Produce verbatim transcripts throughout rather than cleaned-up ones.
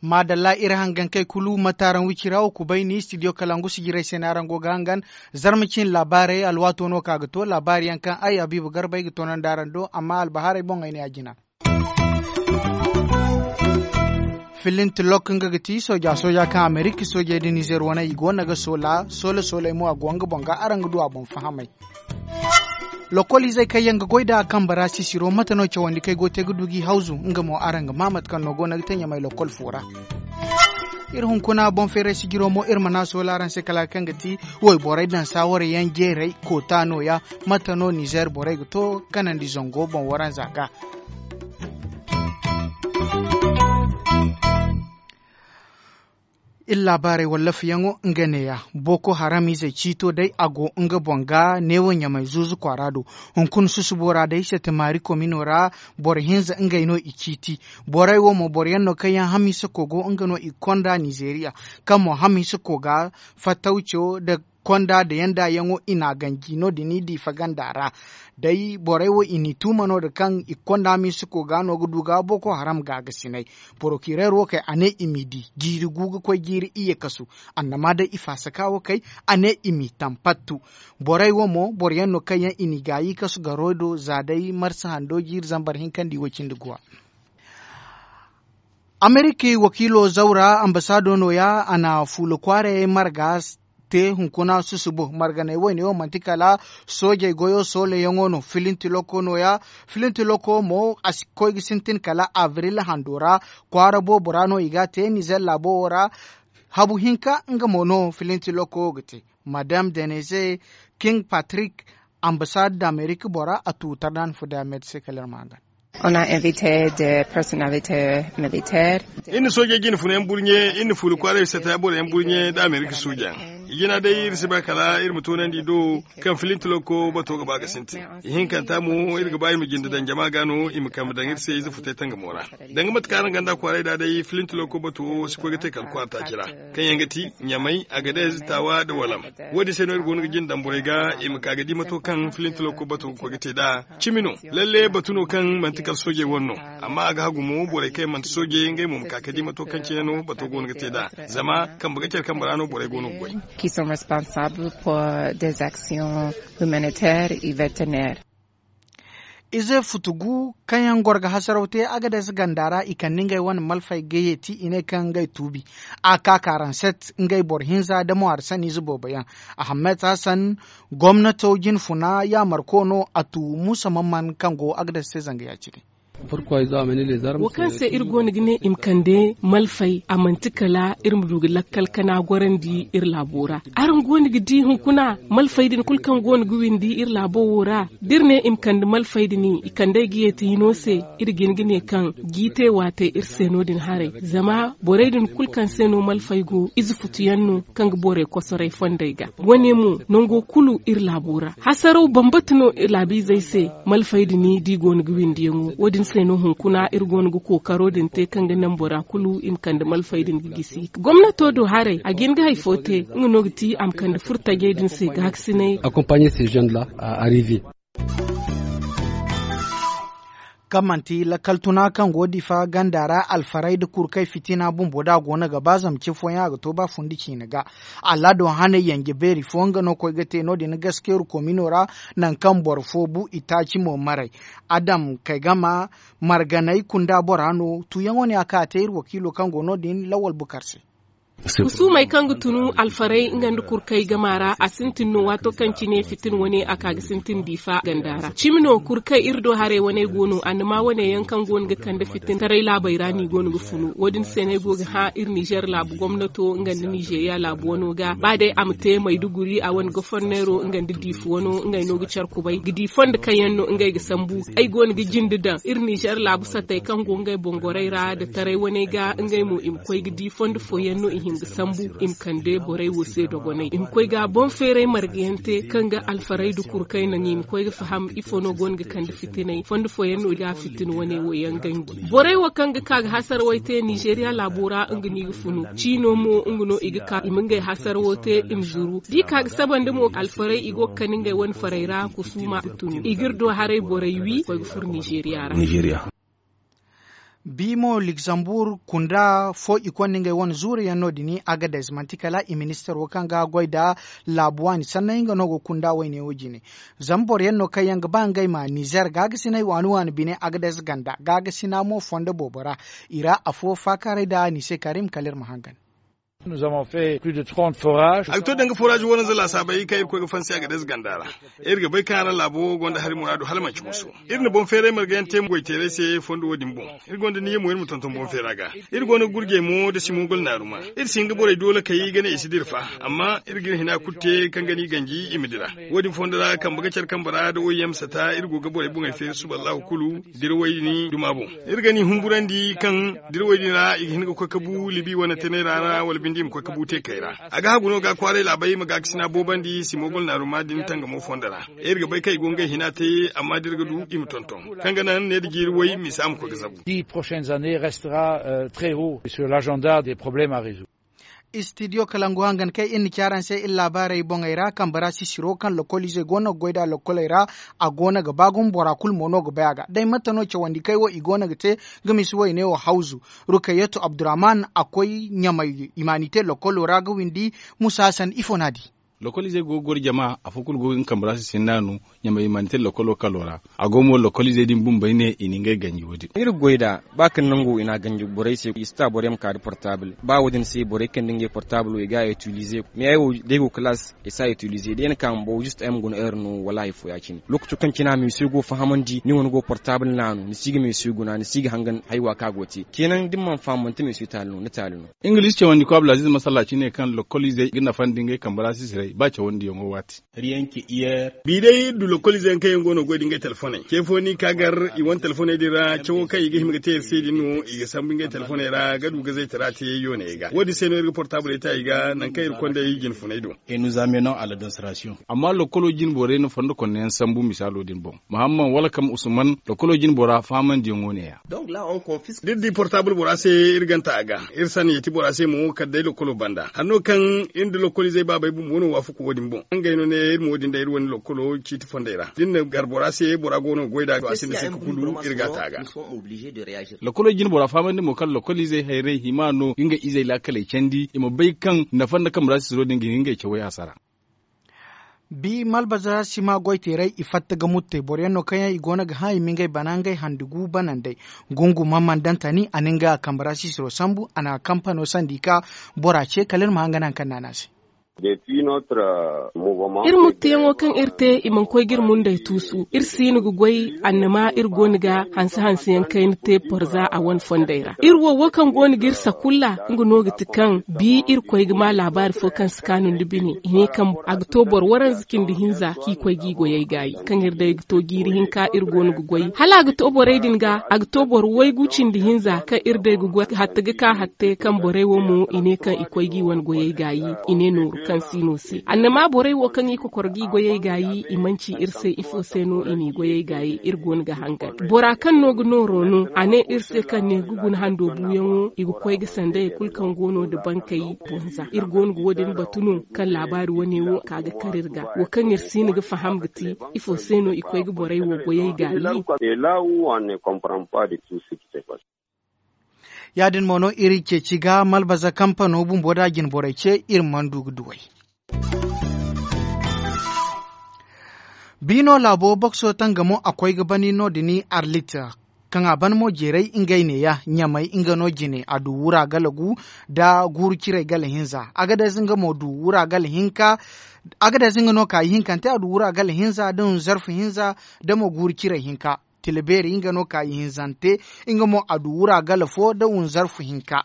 Maadalla iri hangankey kulu mate araŋ wicira wo kubay ni studio kalangu sijirey se no araŋ go ga hangan. Zarma cin laabaarey alwaato no ka ga to laabaari yaŋ kaŋ ay habiibu garba ay ga toonandi araŋ do amma albahaarey boŋ ay ne a jina. Filinti lok nga ga ti sooja sooja kaŋ amerika soojey da nizer wane i go no ga soola soola sooley mo a go nga boŋ ga araŋ ga du a boŋ fahamey. Lokol izey kaŋ yaŋ ga goy nd'a a kambe ra sisiro mate no cawandi kaŋ ay go ga te ga du g'i hawzu nga mo araŋ ga maa mate kaŋ no go no ga te ɲamay lokol fo ra. Iri hunkuna boŋ feeray sijiro mo iri mana soola araŋ se kala kaŋ ga ti wayborey daŋ saawarey yaŋ jeerey koota nooya. Mate no nizer borey ga to kanandi zango boŋ waranza ga. Iri laabaarey wallafayaŋo nga neeya. Boko haram izey ciito day a go nga boŋ ga neewo ɲamay zuuzu kwaara do. Hunkuna susubo ra day sete maari komino ra boro hinza ngey no i ciiti. Borey wo mo boro yaŋ no kaŋ yaŋ hamiisa kogo nga no i konda nizeriya. Kaŋ mo hamiisa koga fattawco nda konda nda yanda yaŋo i n'a ganji no- din i diifa ganda ra. Day borey wo i n'i tuuma no- din kaŋ i ga konda hamiisa koga no ga du ga boko haram gaagasinay. Porokirer wo kay a ne i m'i di jiiri gu ga koy jiiri iyye kasu. Annama day i faasaka wo kay a ne i m'i tampattu. Borey wo mo boro yaŋ no kaŋ yaŋ i n'i gaayi kasu garo do za day marsa hando jiiri zambar hinka nda i wo cindi guwa. Amerika wakiilo zawra ambasaado nooya a na fuula kwaarayey marga te hunkuna susubo marganey wayne wo manti kala soojey goyo soolayaŋo no filinti loko nooya. Filinti loko mo a si koy ga sintin kala abril hando ra kwaara boobo ra no i ga a te nizer laabo wo ra. Habu hinka nga mo no filinti loko wo ga te madame denise king patrick, ambasaad da amerika bora a tu tardan fo da med se kala iri ma hangan. On a invité de personnalité militaire. Iri na soojey jine funa yaŋ burɲe iri na fuula kwaaray sata boro yaŋ burɲe nda amerika sooja yaŋ. I jina day iri si ba kala iri ma toonandi do kaŋ filinti loko bato ga ba ga sintin. Ihinkanta mo iri ga ba i ma jinde daŋ jama ga no i ma kambe daŋ iri se ize futay tangamo ra. Danga mate kaŋ araŋ ganda kwaaray da day filinti loko bato wo si koy ga te kala kwaara taaci ra. Kaŋ yaŋ ga ti ɲamay agadez taawa nda walam. Wo- din se no iri go no ga jinde daŋ borey ga i ma ka ga di mato kaŋ filinti loko bato ga koy ga te nd'a. Cimi no lalle batu no kaŋ manti kala soojey wane no. Amma a ga hagu mo borey kaŋ yaŋ manti soojey ngey mo ma ka ga di mato kaŋ cine no bato go no ga te nd'a. Zama kambe ga care kambe ra no borey go no ga goy. Qui sont responsables pour des actions humanitaires et vétérinaires. Ize futugu kaŋ yaŋ goro ga hasaraw te agades ganda ra i kande ngey wane malfey ga yeeti i ne kaŋ ngey tuubi. A ka karanset ngey boro hinza nda mo arsaniize boobo yaŋ. Ahammed hassan gomnato jine funa yaamarko no a tu muusa mamman kaŋ go agades se zanga ya-cine. Wo kaŋ se iri go no ga ne i ma kande malfey a manti kala iri ma du ga lakkal kana gorandi iri laabo ra. Araŋ go no ga di hunkuna malfey din kulu kaŋ go no ga windi iri laabo wo ra. Da iri ne i ma kande malfey din i kande ay ga yeeti hino se. Iri ga hin ga ne kaŋ jiite waate iri se no- din haray zama borey din kulu kaŋ se no malfey go ize futu yaŋ no kaŋ ga borey kosoray fondey ga. Wo- ne mo nango kulu iri laabo ra hasaraw bambata no laabiizey se. Malfey din da i go no ga windiyaŋo wo- din se no hunkuna iri go no ga kookaro din te kaŋ ga naŋ bora kulu i ma kande malfey din ga gisi gomnato do haray a ga hin ga hari fo te. Nga no ga ti a ma kande furtajey din se gaakasinay. Accompagner ces jeunes là à arriver. Kaŋ manti lakkal tuna kaŋ go difa ganda ra alfaray nda kurkay fitina bumbo da a go no ga ba zama ce fooyaŋ a ga to ba fundi ciine ga. Allaado hanay yanje beeri fo nga no koy ga te no- din gaskeyru komino ra. Nangu kaŋ boro fo bu itaaci mo maray adam kay gama marganay kunda bora no tuyaŋo ne a ka a te iri wakiilo kaŋ go no- din lawal bukar se. Husuumey kaŋ ga tunu alfaray nga nda kurkay gama ra a sintin no waato kaŋ cine fitin wane a ka ga sintin diifa ganda ra cimi no kurkay iri do haray wane go no annama wane yaŋ kaŋ go no ga kande fitin taray laabey ra no i go no ga funu wo- din se no ay go ga hã iri nizer laabu gomnato nga nda nizeriya laabu wano ga ba day a ma te mayduguri a wane goforneero nga nda diifa wano ngey no ga care kubay ga di fondo kaŋ yaŋ no ngey ga sambu. Ay go no ga jinde daŋ iri nizer laabu sattey kaŋ go ngey bongorey ra nda taray wane ga ngey mo i ma koy ga di fondo fooyaŋ no i Hinga sambu i ma kande borey wo se dogonay i ma koy ga boŋ feeray marga yaŋ te kaŋ ga alfaray da kurkay naŋ i ma koy ga faham ifo no go no ga kande fitinay fondo fooyaŋ no ga fitina wane wo yaŋ ganji. Borey wo kaŋ ga ka ga hasara way te nizeeriya laabo ra nga no i ga funu ciino mo nga no i ga ka i ma ngey hasara wo te i ma zuru da i ka ga saba nda mo alfaray i go ga kande ngey wane faray ra kusuuma ga tunu i ga iri do haray borey wi koy ga furo nizeeriya ra. Bi mo lugzambur kunda fo i konda ngey wane zuuru yaŋ no- din agades manti kala i ministaro kaŋ ga goy nda laabu waani sanney nga no go kunda wayne wo jine. Zama boro yaŋ no kaŋ yaŋ ga ba ngey ma nizer gaagasiney waani waani bine agades ganda gaagasina mo fondo boobo ra i ra afo faakaaray nda ni se karim kala iri ma hangan. A ga to danga foraazi waranza laasaabey kaŋ irkoy ga fansi agades ganda ra. Iri ga bay kaŋ araŋ laabo wo gonda hari muraadu hala manci muso. Iri na boŋ feeray marga yaŋ te goy teeray se fondo wo- din boŋ. Iri gonda niyyamo iri ma tonton boŋ feera ga. Iri go no ga gurjey mo nda simogol naaruma. Iri si hin ga borey doolakey ga ne i si dira fa. Amma iri ga iri hina kulu te kaŋ ga no i ganji i ma dira. Wo- din fondo ra kambe ga care kambe ra nda oy yaŋ ma sata iri go ga borey boŋey feeri suba allahu kulu. Dira way din duma boŋ. Iri ga ni humburandi kaŋ dira way din ra i ga hin ga koy ga bu libi wane tanay ra ra wala binde i ma koy ga bu teekey ra. A ga hagu no ga kwaaray laabey ma gaakasina boobandi simogol naaruma din tangamo fondo ra. Iri ga bay kaŋ i go ngey hina te amma da iri ga du i ma tonton kaŋ ga naŋ ne da jiiri way misa ma koy ga zabu. Dix prochaines années restera très haut sur l'agenda des problèmes à résoudre. Istidiyo kalangu hangan kaŋ iri na ci araŋ se iri laabaarey boŋey ra kambe ra sisiro kaŋ lokoliizey go no ga goy nd'a lokoley ra. A go no ga ba gumo bora kulu mo no ga bay a ga day mate no cawandi kaŋ wo i go no ga te ga misi wayne wo hawzu. Rukayyatu abdurrahman a koy ɲamay imanite lokolo ra ga windi. Musa hasan ifo no a di? Lokoliizey go ga goro jama afo kulu go ga nga kambe ra sisi hinna no. Ɲamay imanite lokolo kalo ra. A go mo lokoliizey din bumbey ne i na ngey ganji wo- din. Iri ga goy nd'a ba kaŋ nango i n'a ganji borey se i si ta borey ma ka nda portable ba wo- din se borey kaŋ nda ngey portable wo i ga a itilize. Mais ay wo da ay go kalaas i si a itilize da ay na ka ma baw juste ay ma guna heure no wala hari fo ya- cine. Lookaco kaŋ cine a meesu go fahamandi ni wane go portable naanu ni si ga meesu guna ni si ga hangan haywa kaŋ a go ga te. Ceenaŋ da ni mana faham manti meesu taali no ni taali no. Ingiliz cawandi ko abdulaziz masallaaci ne kaŋ lokoliizey ga nafandi ngey kambe ra sisiray ba cawandiyaŋo waati. Bi day iri du lokoliizey yaŋ kaŋ yaŋ go no ga goy nda ngey telefoney ce fo no i ka gar i wane telefoney din ra cawo kaŋ i ga hima ga te iri se din no i ga sambu ngey telefoney ra ga du ga zaytara te yooney ga wo- din se no iri ga portabley ta i ga nangu kaŋ iri kondey jine funey do. Amma lokolo jine borey na fondo konno yaŋ sambu misaalo din boŋ. Muhamman wala kaŋ usman lokolo jine bora fahamandiyaŋo ne- ya. Da iri di portable bora se iri ganta a ga. Iri sanni ya ti bora se mo kala day lokolo banda hanno kaŋ iri nda lokoliizey baabey bumbo no waafaku wo- din boŋ ngey no ne iri mo wo- din day iri wane lokolo ciiti fondey ra da iri na gar bora se bora go no ga goy nd'a a sinda se ga kulu iri ga a ta a ga. Lokolo jine bora fahamandi mo kaŋ lokoliizey hayray hima no ga nga izey laakaley candi i ma bay kaŋ nafa nda kambe ra sisiro din ga hin ngey cawey hasara. Bi malbaza sima goy teeray i fatta ga muttey boro yaŋ no kaŋ yaŋ i go no ga hã i ma ngey bana ngey handi gu banandey. Gungu mamman dantani a na nga kambe ra sisiro sambu a na kampano sandi ka bora ce kala iri ma hangan hari kaŋ naana se. Iri muttuyaŋo kaŋ iri te i mana koy ga iri mundey tuusu iri si no ga goy annama iri go no ga hanse hanse yaŋ kayna te porza a wane fondey ra iri wo wo kaŋ go no ga iri sakulla. Nga no ga ti kaŋ bi iri koy ga ma laabaari fo kaŋ si kaanu nda bine i ne kaŋ a ga to boro waranza cindi hinza kaŋ i koy ga i goyey gaayi kaŋ iri day ga to jiiri hinka iri go no ga goy hala a ga to borey din ga a ga to boro waygu cindi hinza kaŋ iri day ga goy hatta ga ka hatta kaŋ borey wo mo i ne kaŋ i koy ga i wane goyey gaayi. I ne nooru kaŋ si no se annama borey wo kaŋ i kokoro ga i goyey gaayi i manci iri se ifo se no i n'i goyey gaayi iri go no ga hangan bora kaŋ no ga nooro no a ne iri se kaŋ ne ga guna hando buuyaŋo i ga koy ga sandayey kulu kaŋ go no nda bankey bonza iri go no ga wo- din batu no kaŋ laabaari wane wo ka ga kar iri ga wo kaŋ iri si no ga faham ga ti ifo se no i koy ga borey wo goyey gaayi. Ya- din mo no iri ceeci ga malbaza kampano bumbo da jinborey ce iri mana du ga duw'ey. Biino laabo bokso tangamo a koy ga bani no- din arlit kaŋ a ban mo jeeray ngey neeya ɲamay nga no jine a du wura gala gu nda guuru ciray gala hinza. Agades nga mo du wura gala hinka. Agades nga no ka ihinkante a du wura gala hinza nda wunzarfu hinza nda mo guuru ciray hinka. Tila beeri nga no ka ihinzante nga mo a du wura gala fo nda wunzarfu hinka.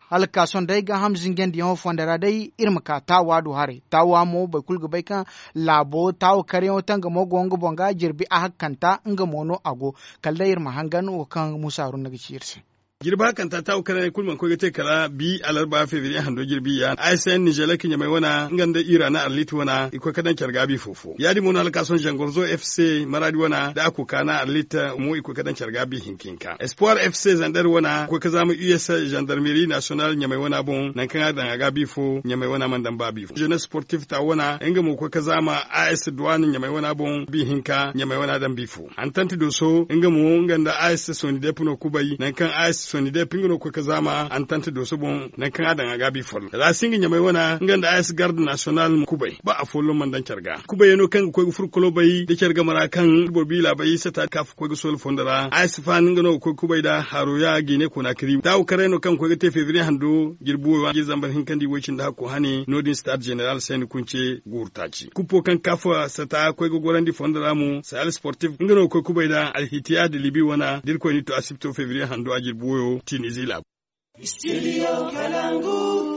Hala ga ka sohõ day gaaham zinjandiyaŋo fonda ra day iri ma ka taawa do haray taawa mo boro kulu ga bay kaŋ laabo taawa karyaŋo tangamo go nga boŋ ga jirbi a hakkanta nga mo no a go. Kala day iri ma hangan wo kaŋ muusa haruna ga ci iri se. Jirbi hakanta taawu karaney kulu mana koy ga te kala bi alarba febriye hando jirbi ya a s n nizelek ɲamay wana nga nda ira na arlit wana i koy ga daŋ care gaabi fo fo ya- din mo no hala ka sohõ zangorzo f c maradi wana nda a koka na arlit mo i koy ga daŋ care gaabi hinka hinka espoir f c zander wana koy ga zaama u s zandarmeri nasiyonal ɲamay wana boŋ nangu kaŋ a daŋ a gaabi fo ɲamay wana mana daŋ ba bi fo zenes sportif ta wana nga mo koy ga zaama a s duwan ɲamay wana boŋ bi hinka ɲamay wana daŋ bi fo. Antant doso nga mo nga nda a s sonidep no kubay nangu kaŋ a s sonidep nga no ga koy ga zaama antant doso boŋ nangu kaŋ a daŋ a gaabi follo rasinga ɲamay wana nga nda a s garde nasiyonal mo kubay ba afolloŋ mana daŋ care ga kubayey no kaŋ ga koy ga furo kolobay nda care game ra kaŋ boro bi laabay sata kafa koy ga soola fondo ra a s fan nga no ga koy ga kubay nda haro ya ga i ne koona kari taawu karay no kaŋ ga koy ga te febriye hando jirbi wo ra jirbi zambar hinkandi woy cindi hakko hane no- din stade zeneral sayni kunce guuru taaci kuppo kaŋ kafa sata koy ga gorandi fondo ra mo sahel sportif nga no ga koy kubay nda alhitiya da libi wana da irkoy n'i to asibto febriye hando a jirbi woyo tinizi laabu.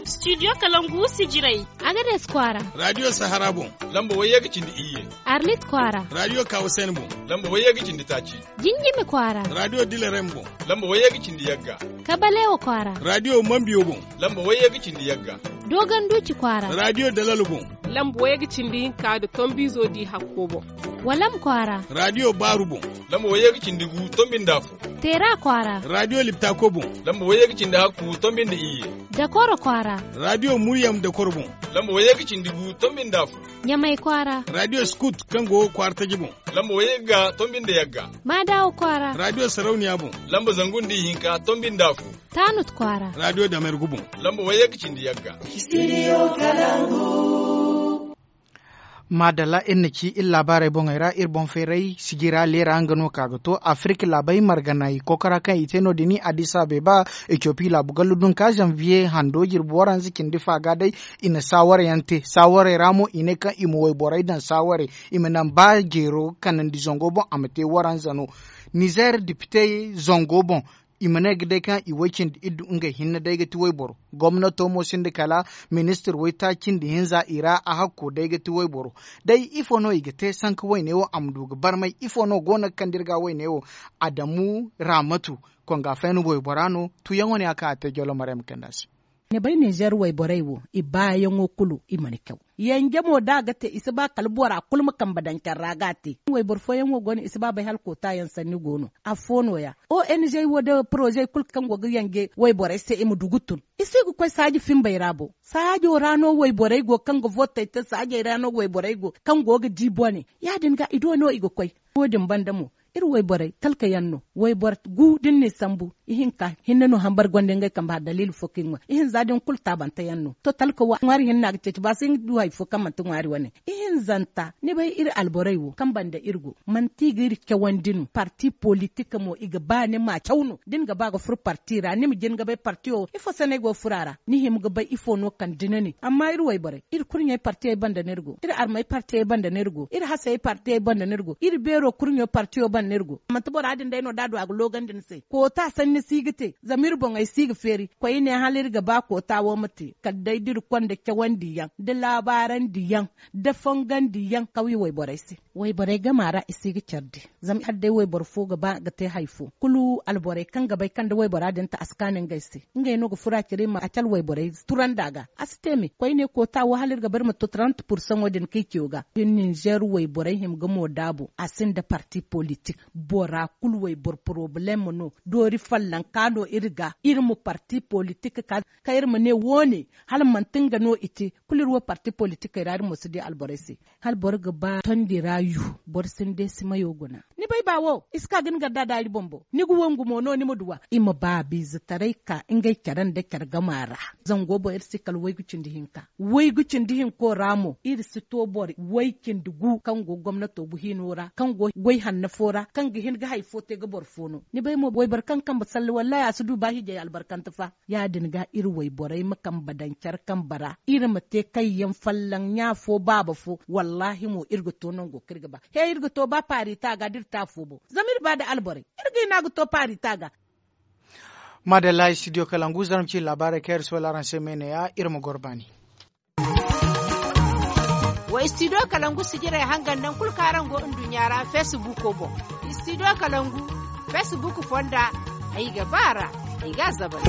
Studio kalangu sijirey. Agades kwaara. Radio sahara boŋ. Lamba wayye ga cindi iyye. Arlit kwaara. Radio kawasen boŋ. Lamba wayye ga cindi taaci. Jinjimi kwaara. Radio dilerem boŋ. Lamba wayye ga cindi yagga. Kabalewa kwaara. Radio mambiyo boŋ. Lamba wayye ga cindi yagga. Doganduci kwaara. Radio dalal boŋ. Lamba wayye ga cindi hinka da tombizo di hakko boŋ. Walam kwaara. Radio baaru boŋ. Lamba wayye ga cindi gu tombi nda afo. Teera kwaara. Radio liptako boŋ. Lamba wayye ga cindi hakku tombi nda iyye. Dakoro kwaara. Radio muryam dakoro boŋ. Lamba wayye ga cindi gu tombi nda afo. Ɲamay kwaara. Radio skut kaŋ go kwaara taji boŋ. Lamba wayye ga tombi nda yagga. Maadawa kwaara. Radio sarauniya boŋ. Lamba zangu nda ihinka tombi nda afo. Taanut kwaara. Radio damergu boŋ. Lamba wayye ga cindi yagga. Maadalla iri na ci iri laabaarey boŋey ra iri boŋ feeray sijira leera nga no ka ga to afirik laabey marganay kokora kaŋ i te no- din addis abeba, etiyopi laabu gallu dunka zanviye hando jirbi waranza cindi fa ga day. I na saawarey yaŋ te saawarey ra mo i ne kaŋ i ma wayborey daŋ saawarey i ma naŋ ba jeero kanandi zango boŋ a ma te waranza no. Nizer dipite zango boŋ i ma ne ga day kaŋ i way cindi iddu ngey hinne day ga ti wayboro. Gomnato mo sinda kala ministir waytaaci nda hinza i ra a hakko day ga ti wayboro. Day ifo no i ga te sanka wayne wo a ma du ga barmay ifo no go no ga kande iri ga wayne wo? Adamu ramatu konga fayna waybora no tuyaŋo ne a ka a te jolomare ma kande a se. Ni bay nizer wayborey wo i baayaŋo kulu i mana caw. Yanje mo da a ga te i si ba kala bora kulu ma kambe daŋ care ra ga a te. Wayboro fooyaŋ wo go no i si ba bay hala kootaayaŋ sanni go no. Affo no- ya. Ong wo da porozey kulu kaŋ go ga yanje wayborey se i ma du ga tun. I si ga koy saaji fimbey ra bo. Saajo ra no wayborey go kaŋ ga vootey te saajey ra no wayborey go kaŋ go ga di bone ya- din ga i do no i ga koy. Wo- din banda mo iri wayborey talka yaŋ no. Wayboro gu da ni n'i sambu ihinka hinne no hambar gonda ngey kambe hari daliili fo kaŋ i ŋwa ihinza din kulu taabante yaŋ no. To talka wo ŋwaari hinne no a ga ceeci ba si hin ga du hari fo kaŋ manti ŋwaari wane. Ihinzanta ni bay iri alborey wo kaŋ banda iri go manti i ga iri cawandi no parti politik mo i ga ba ni ma caw no da ni ga ba ga furo parti ra ni ma jin ga bay parti wo ifo se no ay go ga furo a ra? Ni hima ga bay ifo no kande ni ne amma iri wayborey iri kurɲey partiyey banda no iri go iri armey partiyey banda no iri go iri hasey partiyey banda no iri go iri beero kurɲo partiyo banda no iri go. Manti bora din day no da a du a ga loogandi ni se koota sanni si ga te zama iri boŋey si ga feeri koyne hala iri ga ba koota wo ma te kala day da iri konda cawandiyaŋ da laabarandiyaŋ da fongandiyaŋ kawye wayborey se. Wayborey gama ra i si ga care di. Zama hala day wayboro fo ga ba ga te hari fo kulu alborey kaŋ ga bay kaŋ da waybora din ta a si kaanu ngey se. Ngey no ga furo a care ma a cala wayborey turandi a ga a si te me koyne koota wo hala iri ga ba iri ma to trant pursaŋo din kaŋ i ciyo ga. Ninzeer wayborey hima ga mo daabu a sinda parti politik. Bora kulu wayboro porobalem no doori fallanka no iri ga iri ma parti politik ka kaŋ iri ma ne wo- ne hala manti nga no i te. Kulu iri wo parti politikey ra iri mo si di alborey se. Hala boro ga ba tondi ra yu boro sinda ay si mayo guna. Ni bay ba wo i si ka ga ni garda daari boŋ bo ni ga wangu mo no ni ma duw'a i ma ba biizataray ka ngey care nda care gama ra. Zango boŋ iri si kala waygu cindi hinka. Waygu cindi hinko ra mo iri si to boro way cindi gu kaŋ go gomnato gu hino ra kaŋ go way hanna fo ra kaŋ ga hin ga hari fo te ga boro fo no. Ni bay mo wayboro kaŋ kambe salle wallaahi a si du ba hiijay albarkante fa. Ya- din ga iri wayborey ma kambe daŋ care kambe ra iri ma te kayyaŋ folloŋ ɲa fo baaba fo. Wallaahi mo iri ga to nango kaŋ iri ga ba he iri ga to ba paarita ga da iri te afo boŋ. Zama iri ba nda alborey iri ga hin a ga to paarita ga. Maadalla studio kalangu zarma ci laabaarey kaŋ iri soola araŋ se me ne- ya iri ma goro baani. Wa studio kalangu sijirey hangan naŋ kulu kaŋ araŋ go nduɲɲa ra feesibuuko boŋ. Studio kalangu feesibuuk fonda ay ga ba a ra. i ga a zabar.